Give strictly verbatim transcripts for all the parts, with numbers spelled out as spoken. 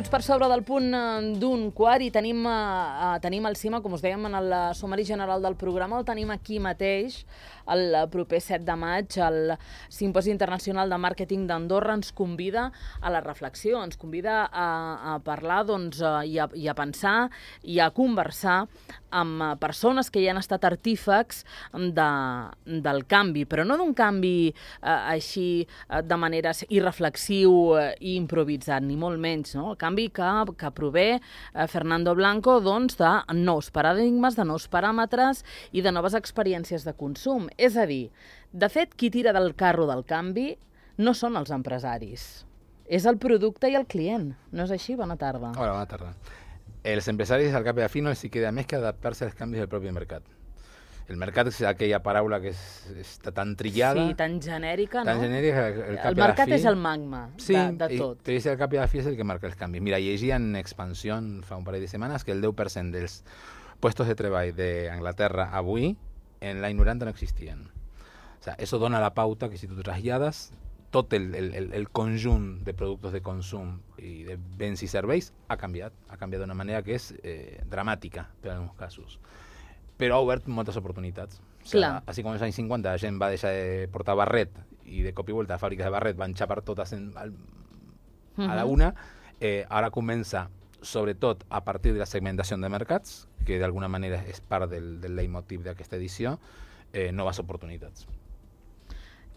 minuts per sobre del punt d'un quart i tenim, uh, tenim el CIMA, com us dèiem en el sumari general del programa, el tenim aquí mateix, el proper set de maig, el Simposi Internacional de Màrqueting d'Andorra ens convida a la reflexió, ens convida a, a parlar doncs, uh, i, a, i a pensar i a conversar amb uh, persones que ja han estat artífecs de, del canvi, però no d'un canvi uh, així uh, de manera irreflexiu uh, i improvisat, ni molt menys, no? El canvi que, que prové uh, Fernando Blanco doncs, de nous paradigmes, de nous paràmetres i de noves experiències de consum. És a dir, de fet, qui tira del carro del canvi no són els empresaris, és el producte i el client. No és així? Bona tarda. Hola, bona tarda. Els empresaris, al cap i a la fi, no els queda més que adaptar-se als canvis del propi mercat. El mercat és aquella paraula que és, està tan trillada. Sí, tan genèrica, tan no? genèrica, el cap el mercat fi, és el magma sí, de, de tot. Sí, però al cap i a la fi és el que marca els canvis. Mira, llegia en Expansió fa un parell de setmanes que el deu per cent dels puestos de treball d'Anglaterra avui en l'any noranta no existien. O sea, eso dona la pauta que si tu trasllades tot el, el, el conjunt de productes de consum i de béns i serveis ha canviat. Ha canviat d'una manera que és eh, dramàtica per en alguns casos. Però ha obert moltes oportunitats. O sea, així com als anys cinquanta la gent va deixar de portar barret i de cop i volta a fàbriques de barret van xapar totes en, al, uh-huh. a la una, eh, ara comença sobretot a partir de la segmentació de mercats, que d'alguna manera és part del, del leitmotiv d'aquesta edició, eh, noves oportunitats.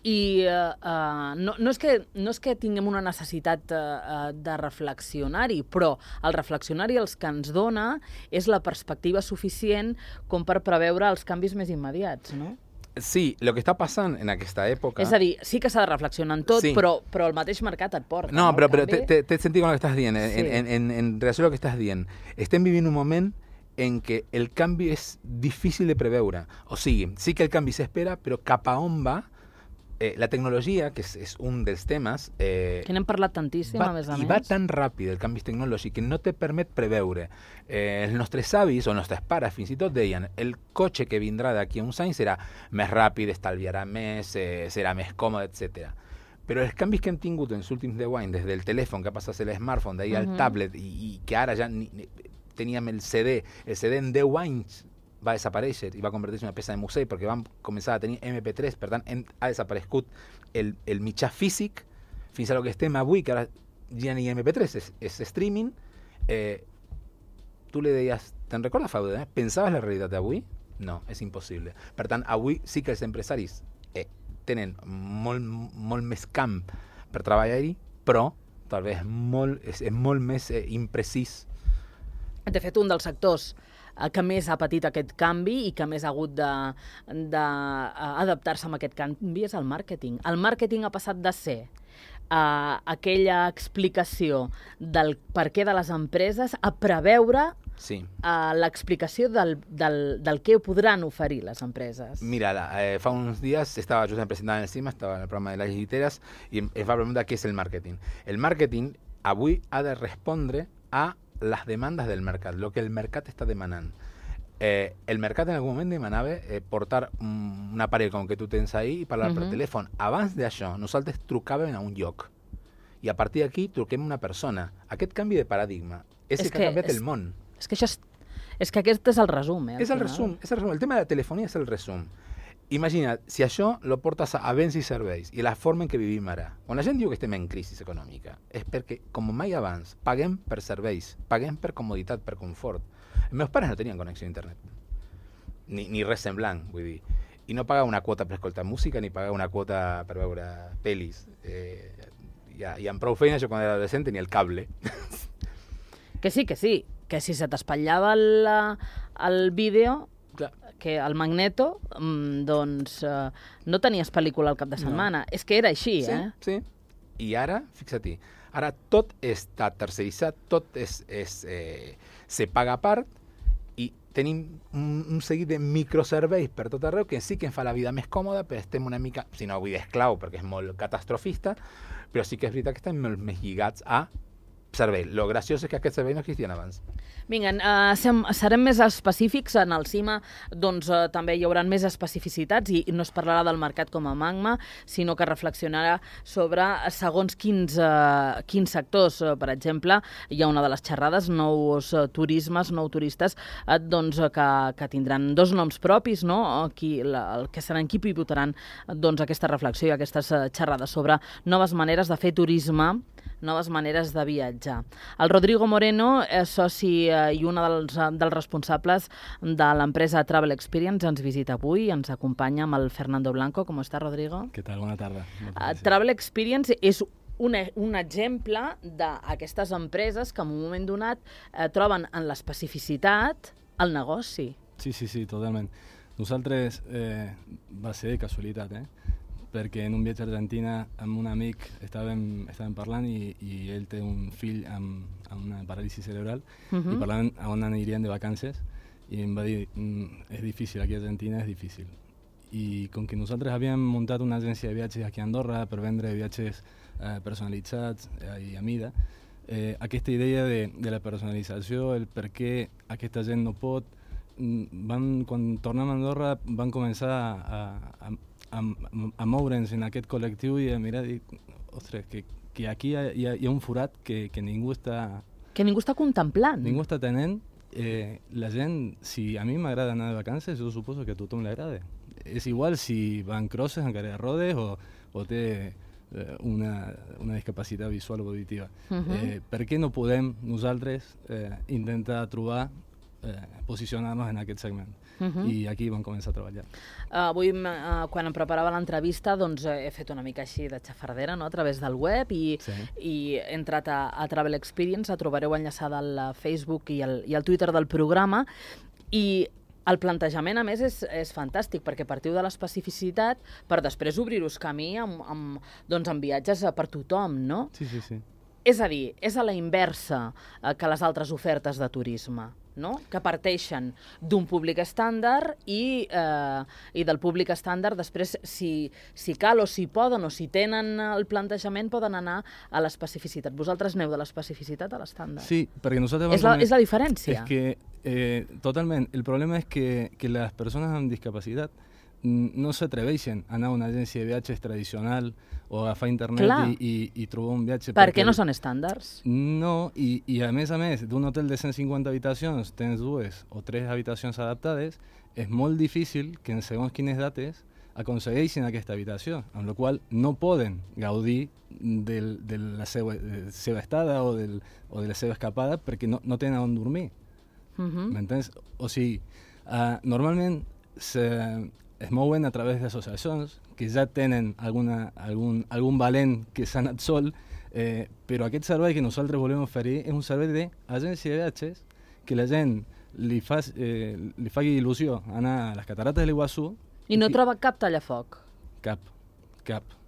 I uh, uh, no, no, és que, no és que tinguem una necessitat uh, de reflexionar-hi, però el reflexionar-hi els que ens dona és la perspectiva suficient com per preveure els canvis més immediats, no? Sí, el que està passant en aquesta època... És a dir, sí que s'ha de reflexionar en tot, sí. però, però el mateix mercat et porta. No, no però, però té sentit amb el que estàs dient, sí. en, en, en, en relació al que estàs dient. Estem vivint un moment en què el canvi és difícil de preveure. O sigui, sí que el canvi s'espera, però cap a on va... Eh, la tecnologia, que és, és un dels temes... Eh, que n'hem parlat tantíssim, va, a més a I més. va tan ràpid el canvi tecnològic que no te permet preveure. Eh, els nostres avis o els nostres pares fins i tot deien el cotxe que vindrà d'aquí a uns anys serà més ràpid, estalviarà més, eh, serà més còmode, etcètera. Però els canvis que hem tingut en els últims deu anys, des del telèfon que ha passat a ser l'smartphone, d'ahir uh-huh. al tablet, i, i que ara ja ni, ni, teníem el C D, el C D en deu anys va desaparèixer i va convertir-se en una peça de museu perquè vam començar a tenir eme pe tres, per tant hem, ha desaparegut el, el mitjà físic fins a lo que estem avui, que ara ja ni eme pe tres, és, és streaming. Eh, tu li deies, te'n recordes, Faude, eh? Pensaves la realitat d'avui? No, és impossible. Per tant, avui sí que els empresaris eh, tenen molt, molt més camp per treballar-hi, però tal vegada molt, és, és molt més eh, imprecís. De fet, un dels sectors que més ha patit aquest canvi i que més ha hagut d'adaptar-se a aquest canvi és el màrqueting. El màrqueting ha passat de ser uh, aquella explicació del per què de les empreses a preveure sí. uh, l'explicació del, del, del què podran oferir les empreses. Mira, eh, fa uns dies estava justament presentant en el CIMA, estava en el programa de les lliteres i es va preguntar què és el màrqueting. El màrqueting avui ha de respondre a les demandes del mercat, el que el mercat està demanant. Eh, el mercat en algun moment demanava eh, portar un, un aparell com que tu tens ahí i parlar uh-huh. per telèfon. Abans d'això, nosaltres trucàvem a un lloc i a partir d'aquí truquem una persona. Aquest canvi de paradigma és, és el que, que ha canviat és, el món. És que, això és, és que aquest és el resum. Eh, és el resum, és el resum. El tema de la telefonia és el resum. Imagina, si això lo portes a béns i serveis i la forma en què vivim ara. Quan la gent diu que estem en crisi econòmica és perquè, com mai abans, paguem per serveis, paguem per comoditat, per confort. Els meus pares no tenien connexió a internet, ni, ni res semblant, vull dir. I no pagava una quota per escoltar música ni pagava una quota per veure pel·lis. Eh, i, I amb prou feina, jo quan era adolescent tenia el cable. Que sí, que sí, que si se t'espatllava el, el vídeo... Clar. Que el Magneto, doncs, eh, no tenies pel·lícula al cap de setmana. No. És que era així, sí, eh? Sí, i ara, fixa't-hi, ara tot està terceritzat, tot és, és, eh, se paga a part i tenim un, un seguit de microserveis per tot arreu que sí que ens fa la vida més còmoda, però estem una mica, si no vull dir esclau perquè és molt catastrofista, però sí que és veritat que estem molt més lligats a servei. Lo graciós és que aquest servei no existia abans. Vinga, uh, sem, serem més específics. En el CIMA doncs, uh, també hi haurà més especificitats i, i no es parlarà del mercat com a magma, sinó que reflexionarà sobre segons quins, uh, quins sectors. Uh, per exemple, hi ha una de les xerrades, nous uh, turismes, nou turistes, uh, doncs, uh, que, que tindran dos noms propis, no? Qui, la, el que seran qui pivotaran doncs, aquesta reflexió i aquestes uh, xerrades sobre noves maneres de fer turisme, noves maneres de viatjar. El Rodrigo Moreno és soci eh, i un dels, dels responsables de l'empresa Travel Experience. Ens visita avui, ens acompanya amb el Fernando Blanco. Com està, Rodrigo? Què tal? Bona tarda. Uh, Travel Experience és un, un exemple d'aquestes empreses que en un moment donat eh, troben en l'especificitat el negoci. Sí, sí, sí, totalment. Nosaltres eh, va ser de casualitat, eh? perquè en un viatge a Argentina amb un amic estàvem, estàvem parlant i, i ell té un fill amb, amb una paràlisi cerebral uh -huh. i parlant a on anirien de vacances i em va dir, mm, és difícil, aquí a Argentina és difícil. I com que nosaltres havíem muntat una agència de viatges aquí a Andorra per vendre viatges eh, personalitzats eh, i a mida, eh, aquesta idea de, de la personalització, el per què aquesta gent no pot, van, quan tornem a Andorra van començar a, a, a, a moure'ns en aquest col·lectiu i a mirar i dir, ostres, que, que aquí hi ha, hi, ha, hi ha un forat que, que ningú està... Que ningú està contemplant. Ningú està tenent. Eh, la gent, si a mi m'agrada anar de vacances, jo suposo que a tothom li agrada. És igual si va en crosses, en cadira de rodes o, o té eh, una, una discapacitat visual o auditiva. Uh -huh. eh, per què no podem nosaltres eh, intentar trobar Eh, posicionar-nos en aquest segment. Uh -huh. I aquí vam començar a treballar. Uh, avui, uh, quan em preparava l'entrevista, doncs he fet una mica així de xafardera, no?, a través del web i, sí. i he entrat a, a Travel Experience, la trobareu enllaçada al Facebook i al, i al Twitter del programa, i el plantejament, a més, és, és fantàstic, perquè partiu de l'especificitat per després obrir-us camí amb, amb, doncs, amb viatges per tothom, no? Sí, sí, sí. És a dir, és a la inversa eh, que les altres ofertes de turisme, no? Que parteixen d'un públic estàndard i, eh, i del públic estàndard després, si, si cal o si poden o si tenen el plantejament, poden anar a l'especificitat. Vosaltres aneu de l'especificitat a l'estàndard. Sí, perquè nosaltres... És la, és la diferència. És que, eh, totalment, el problema és que, que les persones amb discapacitat no s'atreveixen a anar a una agència de viatges tradicional o agafar internet i, i, i trobar un viatge... Per què no són estàndards? No, i, i a més a més, d'un hotel de cent cinquanta habitacions tens dues o tres habitacions adaptades, és molt difícil que en segons quines dates aconsegueixin aquesta habitació, amb la qual no poden gaudir del, de la seva, de la seva estada o, del, o de la seva escapada perquè no, no tenen on dormir. Uh -huh. M'entens? O sigui, uh, normalment se... es mouen a través d'associacions que ja tenen alguna, algun, algun valent que s'ha anat sol, eh, però aquest servei que nosaltres volem oferir és un servei d'agència de viatges que la gent li, fa, eh, li fa il·lusió anar a les catarates de l'Iguaçú. I no i, troba cap tallafoc? Cap, cap,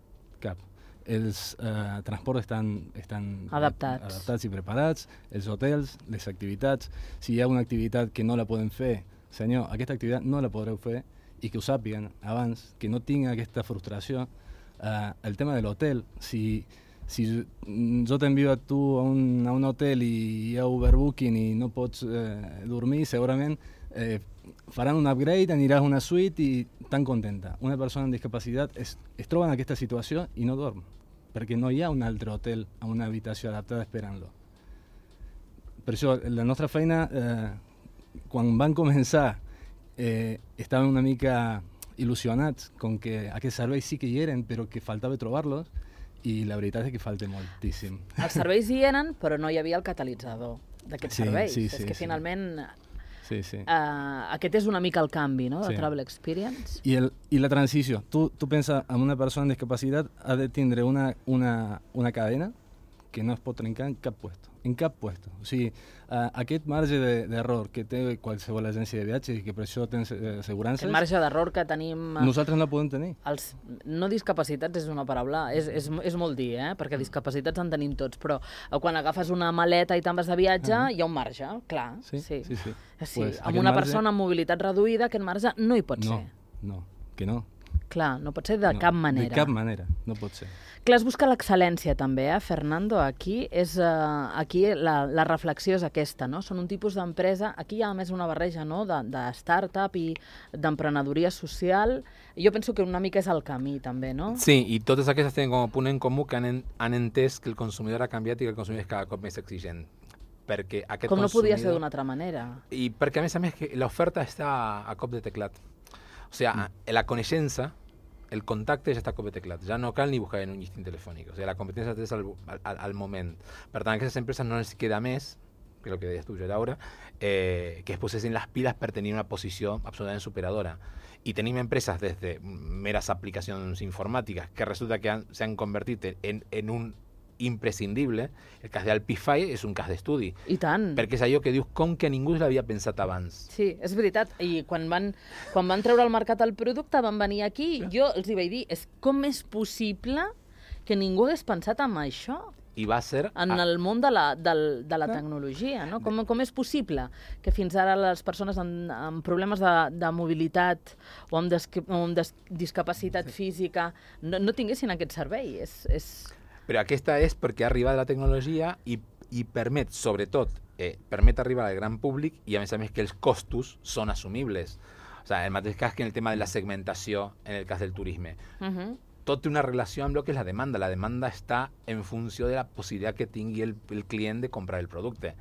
cap. Els eh, transports estan, estan adaptats. adaptats i preparats, els hotels, les activitats. Si hi ha una activitat que no la poden fer, senyor, aquesta activitat no la podreu fer, i que ho sàpiguen abans, que no tinga aquesta frustració. Uh, el tema de l'hotel, si, si jo t'envio a tu a un, a un hotel i hi ha overbooking i no pots eh, dormir, segurament eh, faran un upgrade, aniràs a una suite i tan contenta. Una persona amb discapacitat es, es troba en aquesta situació i no dorm, perquè no hi ha un altre hotel amb una habitació adaptada esperant-lo. Per això, la nostra feina, eh, quan van començar, Eh, estaven una mica il·lusionats com que aquests serveis sí que hi eren, però que faltava trobar-los, i la veritat és que falta moltíssim. Els serveis hi eren, però no hi havia el catalitzador d'aquests sí, serveis. Sí, és sí, que sí. finalment sí, sí. Uh, aquest és una mica el canvi, no?, de sí. Travel Experience. I, el, i la transició. Tu, tu penses en una persona amb discapacitat ha de tindre una, una, una cadena que no es pot trencar en cap puesto. En cap puesto. O sigui, uh, aquest marge d'error que té qualsevol agència de viatges i que per això té assegurances... El marge d'error que tenim... Nosaltres no podem tenir. Els no discapacitats és una paraula, és, és, és molt dir, eh? Perquè discapacitats en tenim tots, però quan agafes una maleta i te'n vas de viatge, uh -huh. hi ha un marge, clar. Sí, sí, sí. sí. sí Pues, amb una marge... persona amb mobilitat reduïda, aquest marge no hi pot no, ser. No, que no. Clar, no pot ser de no, cap manera. De cap manera, no pot ser. Clar, es busca l'excel·lència també, eh, Fernando? Aquí és uh, aquí la, la reflexió és aquesta, no? Són un tipus d'empresa, aquí hi ha a més una barreja, no?, de, de start-up i d'emprenedoria social. Jo penso que una mica és el camí també, no? Sí, i totes aquestes tenen com a punt en comú que han, en, han entès que el consumidor ha canviat i que el consumidor és cada cop més exigent. Perquè aquest Com no consumidor... podia ser d'una altra manera. I perquè a més a més que l'oferta està a cop de teclat. O sigui, mm. la coneixença, el contacte ja està a cop de teclat, ja no cal ni buscar en un llistín telefònic, o sigui, la competència és al, al, al moment. Per tant, a aquestes empreses no els queda més, que és el que deies tu, Laura, eh, que es posessin les piles per tenir una posició absolutament superadora. I tenim empreses des de meres aplicacions informàtiques que resulta que s'han convertit en, en un imprescindible. El cas d'Alpify és un cas d'estudi. I tant. Perquè és allò que dius com que ningú l'havia pensat abans. Sí, és veritat. I quan van, quan van treure al mercat el producte, van venir aquí, jo els hi vaig dir, és com és possible que ningú hagués pensat en això? I va ser... En el món de la, de, de la tecnologia, no? Com, com és possible que fins ara les persones amb, amb problemes de, de mobilitat o amb, des, o amb des, discapacitat física no, no tinguessin aquest servei? És... és... Però aquesta és perquè ha arribat la tecnologia i, i permet, sobretot, eh, permet arribar al gran públic i, a més a més, que els costos són assumibles. O sigui, el mateix cas que en el tema de la segmentació en el cas del turisme. Uh-huh. Tot té una relació amb el que és la demanda. La demanda està en funció de la possibilitat que tingui el, el client de comprar el producte.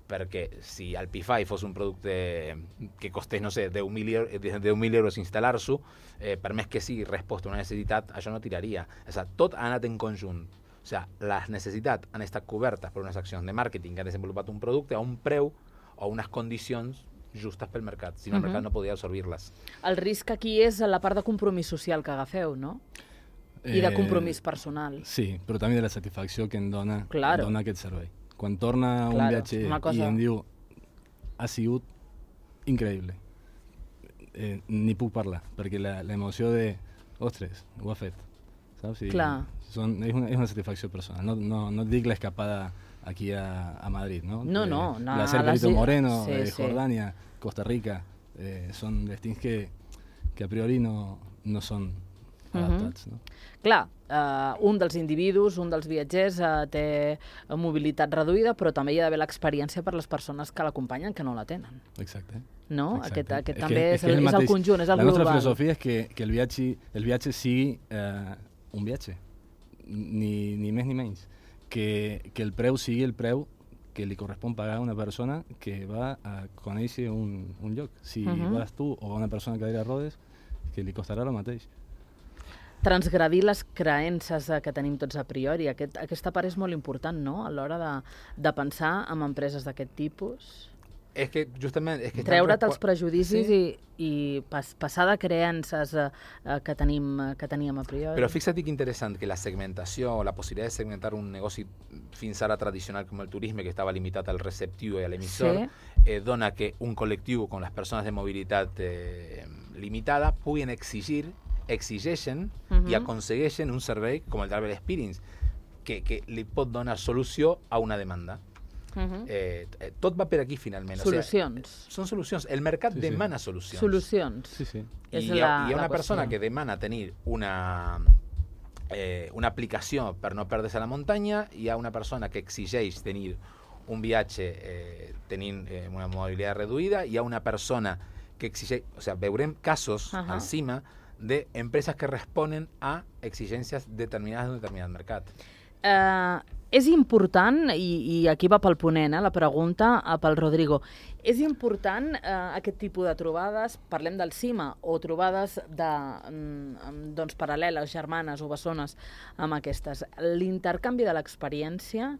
Perquè si Alpify fos un producte que costés, no sé, deu mil euros instal·lar-s'ho, eh, per més que sigui resposta a una necessitat, això no tiraria. O sigui, tot ha anat en conjunt. O sigui, les necessitats han estat cobertes per unes accions de màrqueting que han desenvolupat un producte a un preu o unes condicions justes pel mercat. Si no, el uh-huh. mercat no podia absorbir-les. El risc aquí és la part de compromís social que agafeu, no? I de compromís personal. Eh, sí, però també de la satisfacció que em dona, claro. em dona aquest servei. Quan torna claro, un viatger cosa... i em diu ha sigut increïble, eh, ni puc parlar, perquè l'emoció de ostres, ho ha fet, saps? I Clar. Són, és, una, és una satisfacció personal. No, no, no et dic l'escapada aquí a, a Madrid, no? No, eh, no. no la Perito les... Moreno, sí, eh, sí. Jordània, Costa Rica, eh, són destins que, que a priori no, no són adaptats, uh-huh. no? Clar, uh, un dels individus, un dels viatgers uh, té mobilitat reduïda, però també hi ha d'haver l'experiència per les persones que l'acompanyen que no la tenen. Exacte. No? Exacte. Aquest, aquest és també que, és, el, és, el, és el conjunt, és el la global. La nostra filosofia és que, que el, viatge, el viatge sigui eh, un viatge, ni, ni més ni menys. Que, que el preu sigui el preu que li correspon pagar a una persona que va a conèixer un, un lloc. Si uh-huh. vas tu o una persona que cadira rodes, que li costarà el mateix. Transgredir les creences que tenim tots a priori. Aquest, aquesta part és molt important, no?, a l'hora de, de pensar en empreses d'aquest tipus. És que justament... És que treure't els prejudicis sí. i, i pas, passar de creences eh, que, tenim, que teníem a priori. Però fixa't que interessant que la segmentació o la possibilitat de segmentar un negoci fins ara tradicional com el turisme, que estava limitat al receptiu i a l'emissor, sí. eh, dona que un col·lectiu com les persones de mobilitat eh, limitada puguin exigir exigeixen uh-huh. i aconsegueixen un servei com el Travel Experience que, que li pot donar solució a una demanda. Uh-huh. eh, tot va per aquí finalment. Solucions. O sigui, són solucions. El mercat sí, demana sí. solucions. Solucions. Sí, sí. I hi ha, hi ha una persona que demana tenir una, eh, una aplicació per no perdre-se a la muntanya, hi ha una persona que exigeix tenir un viatge eh, tenint eh, una mobilitat reduïda, hi ha una persona que exigeix... O sigui, veurem casos uh-huh. al cima de empresas que responen a exigències determinades d'un determinat mercat. Uh, és important, i, i aquí va pel ponent, eh, la pregunta uh, pel Rodrigo, és important uh, aquest tipus de trobades, parlem del CIMA, o trobades de, um, doncs, paral·leles, germanes o bessones amb aquestes. L'intercanvi de l'experiència,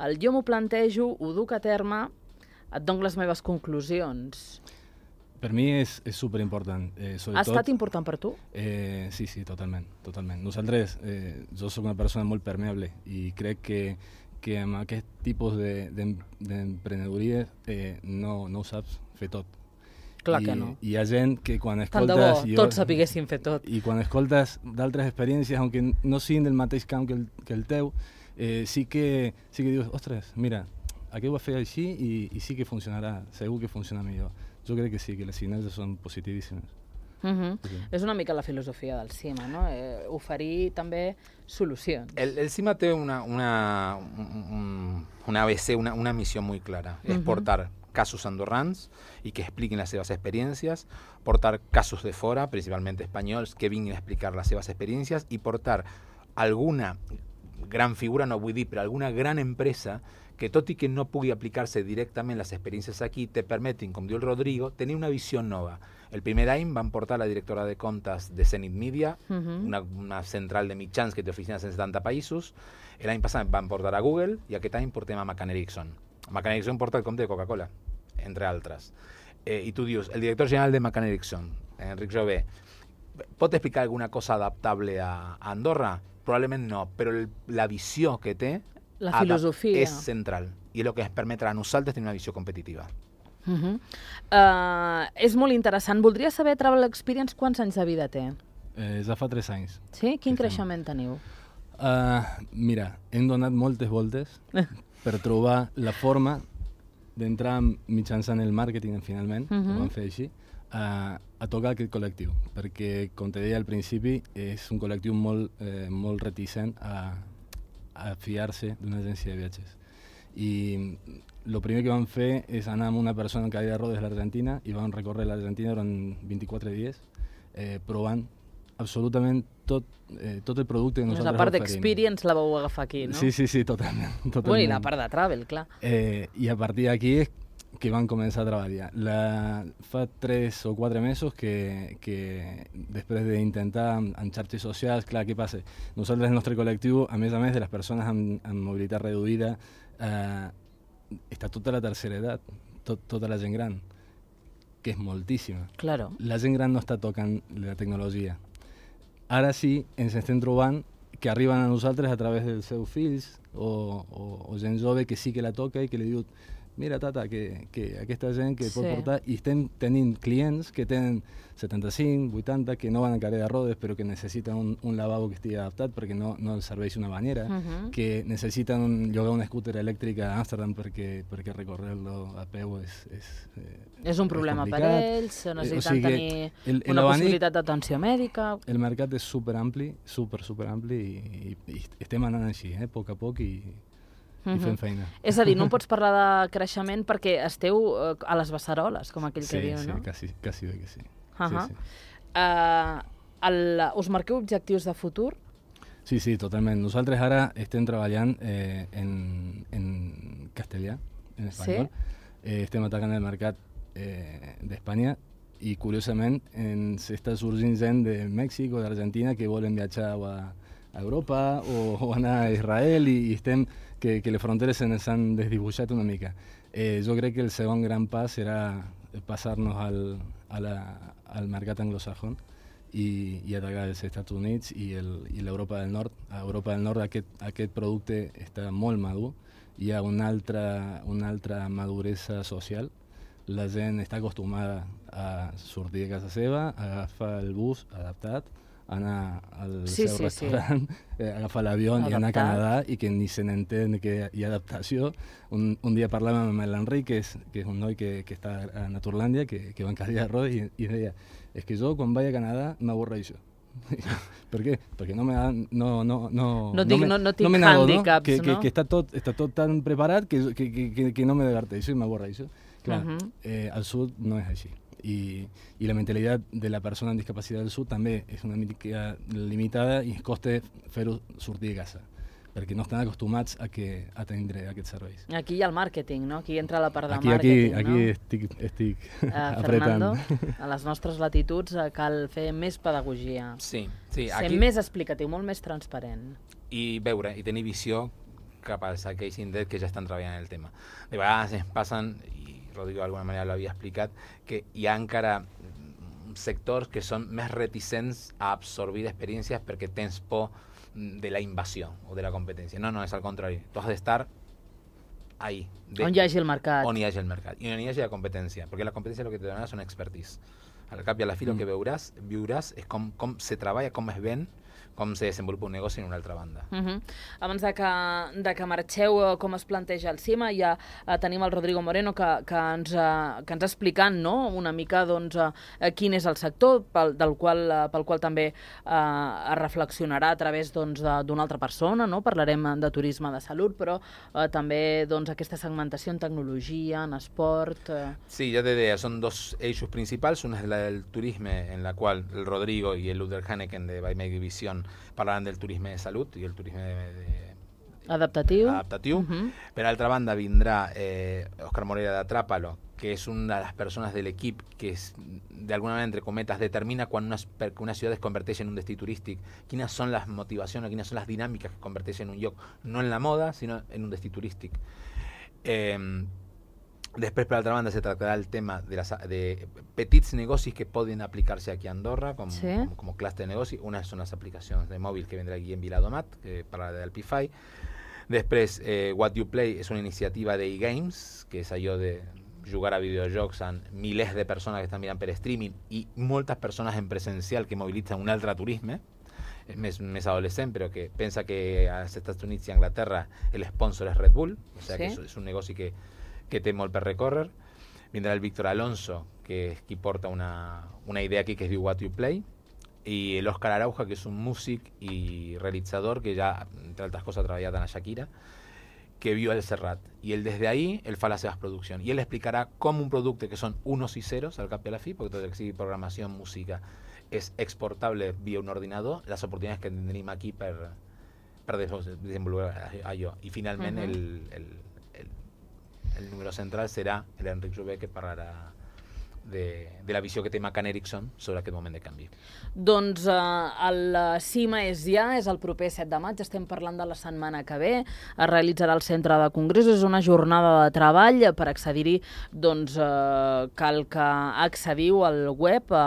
el jo m'ho plantejo, ho duc a terme, et dono les meves conclusions. Per mi és, és superimportant. Eh, ha estat important per tu? Eh, sí, sí, totalment. totalment. Nosaltres, eh, jo soc una persona molt permeable i crec que, que amb aquest tipus d'emprenedoria de, eh, no, no ho saps fer tot. Clar I, que no. Hi ha gent que quan escoltes... Tant de bo, jo, tots sapiguessin fer tot. I quan escoltes d'altres experiències, aunque no siguin del mateix camp que el, que el teu, eh, sí, que, sí que dius, ostres, mira, aquest ho va fer així i, i sí que funcionarà, segur que funciona millor. Jo crec que sí, que les sinergies són positivíssimes. Uh -huh. Sí. És una mica la filosofia del CIMA, no? Eh, oferir també solucions. El, el CIMA té una, una, un, una A B C, una, una misión muy clara. Es uh -huh. portar casos andorrans y que expliquen las seves experiencias, portar casos de fora, principalmente españoles, que vinguin a explicar las seves experiencias y portar alguna gran figura, no vull dir, però alguna gran empresa que tot i que no pugui aplicar-se directament les experiències aquí, te permetin, com diu el Rodrigo, tenir una visió nova. El primer any van portar la directora de comptes de Zenith Media, uh -huh. una, una central de mitjans que té oficines en setanta països. L'any passat van portar a Google i aquest any portem a McCann Erickson. McCann Erickson porta el compte de Coca-Cola, entre altres. Eh, I tu dius, el director general de McCann Erickson, Enric Jové, pot explicar alguna cosa adaptable a, a Andorra? Probablement no, però el, la visió que té la filosofia és central i és el que ens permetrà a nosaltres tenir una visió competitiva. Uh -huh. uh, és molt interessant. Voldria saber, Travel Experience, quants anys de vida té? Eh, ja fa tres anys. Sí? Quin sí, creixement teniu? Uh, mira, hem donat moltes voltes per trobar la forma d'entrar mitjançant el màrqueting, finalment, uh -huh. ho vam fer així, a, a tocar aquest col·lectiu, perquè, com te deia al principi, és un col·lectiu molt, eh, molt reticent a, a fiar-se d'una agència de viatges. I el primer que vam fer és anar amb una persona en cadira de rodes a l'Argentina i vam recórrer l'Argentina durant vint-i-quatre dies, eh, provant absolutament tot, eh, tot el producte que nosaltres oferim. La part d'experience la vau agafar aquí, no? Sí, sí, sí, totalment. totalment. Bueno, i la part de travel, clar. Eh, I a partir d'aquí és que van començar a treballar. La, fa tres o quatre mesos que, que després d'intentar en xarxes socials, clar, què passa? Nosaltres, el nostre col·lectiu, a més a més de les persones amb, amb mobilitat reduïda, eh, està tota la tercera edat, tot, tota la gent gran, que és moltíssima. Claro. La gent gran no està tocant la tecnologia. Ara sí, ens estem trobant que arriben a nosaltres a través dels seus fills o, o, o gent jove que sí que la toca i que li diu mira, tata, que, que aquesta gent que pot sí. portar, i estem tenint clients que tenen setanta-cinc, vuitanta, que no van a cadira de rodes, però que necessiten un, un lavabo que estigui adaptat perquè no, no els serveix una bañera, uh -huh. que necessiten un, llogar una scooter elèctrica a Amsterdam perquè, perquè recórrer-lo a peu és... És, eh, és un problema és per ells, necessiten o sigui tenir el, el una abanic, possibilitat d'atenció mèdica... El mercat és superampli, super, superampli, i, i, i estem anant així, eh, a poc a poc, i... Uh -huh. i fem feina. És a dir, no pots parlar de creixement perquè esteu uh, a les beceroles, com aquell sí, que diu, sí, no? Sí, quasi, quasi bé que sí. Uh -huh. sí, sí. Uh, el, us marqueu objectius de futur? Sí, sí, totalment. Nosaltres ara estem treballant eh, en, en castellà, en espanyol. Sí? Eh, estem atacant el mercat eh, d'Espanya i, curiosament, ens està sorgint gent de Mèxic o d'Argentina que volen viatjar a, a Europa o, o anar a Israel i, i estem... Que, que les fronteres se'ns han desdibuixat una mica. Eh, jo crec que el segon gran pas serà passar-nos al, a la, al mercat anglosajón i, i atacar els Estats Units i l'Europa del Nord. A Europa del Nord aquest, aquest producte està molt madur, hi ha una altra, una altra maduresa social, la gent està acostumada a sortir de casa seva, a agafar el bus adaptat, anar al sí, seu sí, restaurant, sí. eh, agafar l'avió i anar a Canadà i que ni se n'entén que hi ha adaptació. Un, un dia parlàvem amb l'Enric, que, és, que és un noi que, que està a Naturlàndia, que, que va en cadira de rodes, i, i deia, és que jo quan vaig a Canadà m'avorreixo. Per què? Perquè no me no, no, no, no, dic, me, no, no tinc no hàndicaps, que, no? Que, que està, tot, està tot tan preparat que, que, que, que no me diverteixo i m'avorreixo. Clar, uh -huh. eh, al sud no és així. I, i la mentalitat de la persona amb discapacitat del sud també és una mica limitada i es costa fer-ho sortir de casa perquè no estan acostumats a, que, a tindre aquests serveis. Aquí hi ha el màrqueting, no? Aquí entra la part de aquí, màrqueting, aquí, no? Aquí estic, estic uh, apretant. Fernando, a les nostres latituds uh, cal fer més pedagogia. Sí, sí. Ser aquí... més explicatiu, molt més transparent. I veure, i tenir visió cap als aquells indrets que ja estan treballant en el tema. De vegades ens passen, i Rodrigo d'alguna manera l'havia explicat, que hi ha encara sectors que són més reticents a absorbir experiències perquè tens por de la invasió o de la competència. No, no, és al contrari. Tu has d'estar ahí. De, on hi hagi el mercat. On hi hagi el mercat. I on hi hagi la competència. Perquè la competència el que te donarà són expertise. Al cap i a la fi mm. el que veuràs, viuràs és com, com se treballa, com es ven, com se desenvolupa un negoci en una altra banda. Uh -huh. Abans de que, de que marxeu, com es planteja el CIMA, ja uh, tenim el Rodrigo Moreno que, que ens, uh, que ens explicant, no?, una mica doncs, uh, quin és el sector pel, del qual, uh, pel qual també uh, es reflexionarà a través doncs, d'una altra persona, no? Parlarem de turisme de salut, però uh, també doncs, aquesta segmentació en tecnologia, en esport... Uh... Sí, ya te diría, son dos eixos principals, una es la del turismo, en la cual el Rodrigo y el Luther Hanneken de By Make Vision parlarán del turismo de salud y el turismo de, de adaptatiu. adaptatiu. Uh-huh. Per altra banda vindrà eh, Òscar Morera de Atrápalo, que es una de las personas del equipo que es, de alguna manera, entre cometas, determina cuando una, una ciudad es converteix en un destí turístic, quines són les motivacions, quines són les dinàmiques que converteix en un lloc, no en la moda, sinó en un destí turístic. Eh, Després, per altra banda, se tractarà el tema de, las, de petits negocis que poden aplicar-se aquí a Andorra com, sí. com, com clúster de negoci. Una són les aplicacions de mòbil que vendrà Guillem Viladomat, que parlarà del Pify. Després, eh, What You Play és una iniciativa d'e-games, que és allò de jugar a videojocs amb milers de persones que estan mirant per streaming i moltes persones en presencial que mobilitzen un altre turisme. És més, més adolescent, però que pensa que als Estats Units i a Anglaterra el sponsor és Red Bull, o sigui sí. que és, és un negoci que que té molt per recórrer. Vindrà el Víctor Alonso, que és qui porta una, una idea aquí que es diu What You Play, i l'Òscar Arauja, que és un músic i realitzador que ja, entre altres coses, ha treballat en la Shakira, que viu al Serrat. I ell, des d'ahí, ell fa les seves produccions. I ell explicarà com un producte que són unos i ceros, al cap i a la fi, perquè tot el que sigui programació, música, és exportable via un ordinador, les oportunitats que tindrim aquí per, per desenvolupar allò. I finalment, uh-huh. el, el el número central serà l'Enric Jové, que parlarà de, de la visió que té McCann Erickson sobre aquest moment de canvi. Doncs uh, el CIMA és ja, és el proper set de maig, estem parlant de la setmana que ve, es realitzarà al Centre de Congressos, és una jornada de treball. Per accedir-hi, doncs, uh, cal que accediu al web a,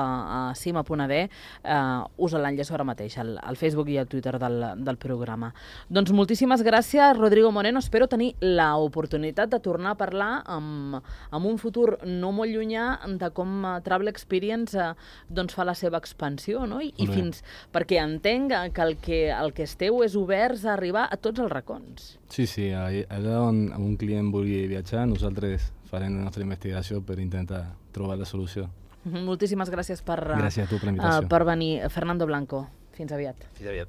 a cima punt a d, uh, us l'enllaço ara mateix, al, al Facebook i al Twitter del, del programa. Doncs moltíssimes gràcies, Rodrigo Moreno, espero tenir l'oportunitat de tornar a parlar amb, amb un futur no molt llunyà de com uh, Travel Experience uh, doncs fa la seva expansió, no? I, i fins perquè entenc que el, que el que esteu és oberts a arribar a tots els racons. Sí, sí, allà on un client vulgui viatjar, nosaltres farem la nostra investigació per intentar trobar la solució. Moltíssimes gràcies per, gràcies a tu per la invitació. Uh, per venir. Fernando Blanco, fins aviat. Fins aviat.